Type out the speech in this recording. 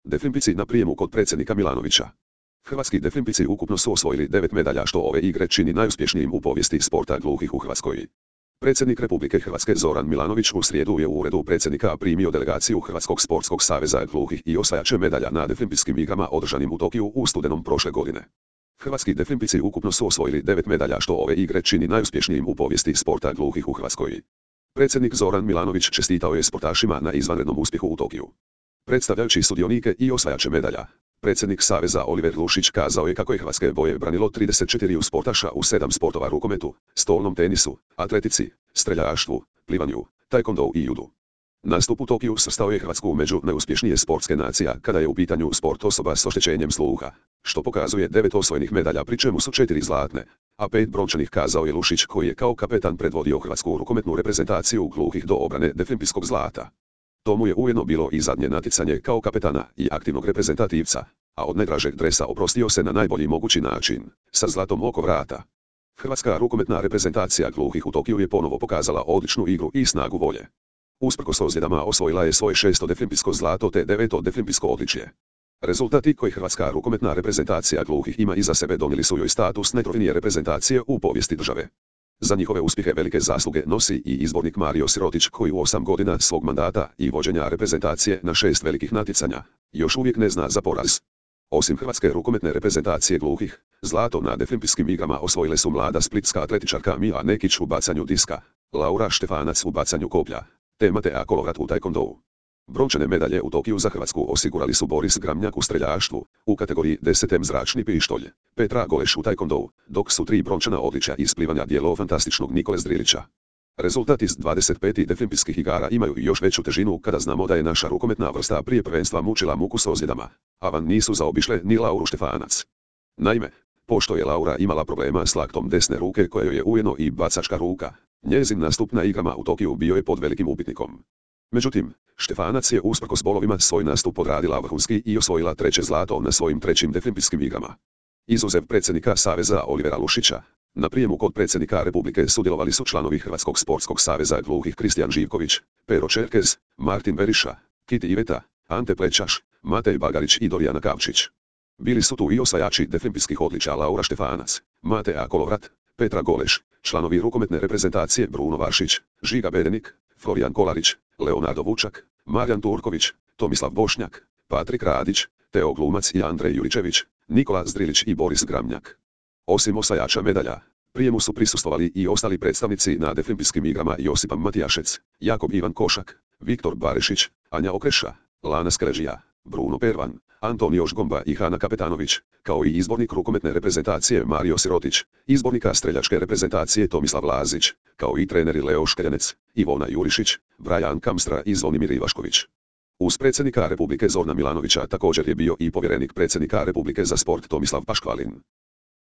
Definpici na prijemu kod predsjednika Milanovića. Hrvatski definpici ukupno su osvojili 9 medalja što ove igre čini najuspješnijim u povijesti sporta gluhih u Hrvatskoj. Predsjednik Republike Hrvatske Zoran Milanović u srijedu je u uredu predsjednika primio delegaciju Hrvatskog sportskog saveza gluhih i osvajače medalja na definpijskim igrama održanim u Tokiju u studenom prošle godine. Hrvatski definpijci ukupno su osvojili 9 medalja što ove igre čini najuspješnijim u povijesti sporta gluhih u Hrvatskoj. Predsjednik Zoran Milanović čestitao je sportašima na izvanrednom uspjehu u Tokiju. Predstavljajući sudionike i osvajače medalja, predsjednik Saveza Oliver Lušić kazao je kako je hrvatske boje branilo 34 sportaša u 7 sportova: rukometu, stolnom tenisu, atletici, streljaštvu, plivanju, taekwondo i judu. Nastup u Tokiju svrstao je Hrvatsku među najuspješnije sportske nacija kada je u pitanju sport osoba s oštećenjem sluha, što pokazuje 9 osvojenih medalja pri čemu su 4 zlatne, a 5 brončanih, kazao je Lušić koji je kao kapetan predvodio hrvatsku rukometnu reprezentaciju gluhih do obrane definpijskog zlata. To mu je ujedno bilo i zadnje natjecanje kao kapetana i aktivnog reprezentativca, a od najdražeg dresa oprostio se na najbolji mogući način, sa zlatom oko vrata. Hrvatska rukometna reprezentacija gluhih u Tokiju je ponovo pokazala odličnu igru i snagu volje. Usprkos ozljedama osvojila je svoje 6. definpijsko zlato te 9. definpijsko odličje. Rezultati koje Hrvatska rukometna reprezentacija gluhih ima iza sebe donijeli su joj status najtrofejnije reprezentacije u povijesti države. Za njihove uspjehe velike zasluge nosi i izbornik Mario Sirotić koji u 8 godina svog mandata i vođenja reprezentacije na 6 velikih natjecanja još uvijek ne zna za poraz. Osim Hrvatske rukometne reprezentacije gluhih, zlato na definpijskim igrama osvojile su mlada splitska atletičarka Mija Nekić u bacanju diska, Laura Štefanac u bacanju koplja, te Matea Kolovrat u taekwondou. Brončane medalje u Tokiju za Hrvatsku osigurali su Boris Gramnjak u streljaštvu, u kategoriji 10 zračni pištolj, Petra Goleš u taekwondou, dok su 3 brončana odličja iz plivanja djelo fantastičnog Nikole Zdrilića. Rezultati iz 25 definpijskih igara imaju još veću težinu kada znamo da je naša rukometna vrsta prije prvenstva mučila muku s ozljedama, a van nisu zaobišle ni Lauru Štefanac. Naime, pošto je Laura imala problema s laktom desne ruke koja joj je ujedno i bacačka ruka, njezin nastup na igrama u Tokiju bio je pod velikim upitnikom. Međutim, Štefanac je usprkos bolovima svoj nastup odradila vrhunski i osvojila 3. zlato na svojim 3. definpijskim igrama. Izuzev predsjednika Saveza Olivera Lušića, na prijemu kod predsjednika Republike sudjelovali su članovi Hrvatskog sportskog saveza gluhih Kristijan Živković, Pero Čerkez, Martin Beriša, Kiti Iveta, Ante Plećaš, Matej Bagarić i Dorijana Kavčić. Bili su tu i osvajači definpijskih odličja Laura Štefanac, Matea Kolovrat, Petra Goleš, članovi rukometne reprezentacije Bruno Varšić, Žiga Bedenik, Florijan Kolarić, Leonardo Vučak, Marijan Turković, Tomislav Bošnjak, Patrik Radić, Teo Glumac i Andrej Juričević, Nikola Zdrilić i Boris Gramnjak. Osim osvajača medalja, prijemu su prisustvovali i ostali predstavnici na definpijskim igrama: Josipa Matijašec, Jakob Ivan Košak, Viktor Barešić, Anja Okreša, Lana Skeležija, Bruno Pervan, Antonio Žgomba i Hana Kapetanović, kao i izbornik rukometne reprezentacije Mario Sirotić, izbornika streljačke reprezentacije Tomislav Lazić, kao i treneri Leo Škeljanec, Ivona Jurišić, Brajan Kamstra i Zvonimir Ivašković. Uz predsjednika Republike Zorana Milanovića također je bio i povjerenik predsjednika Republike za sport Tomislav Paškvalin.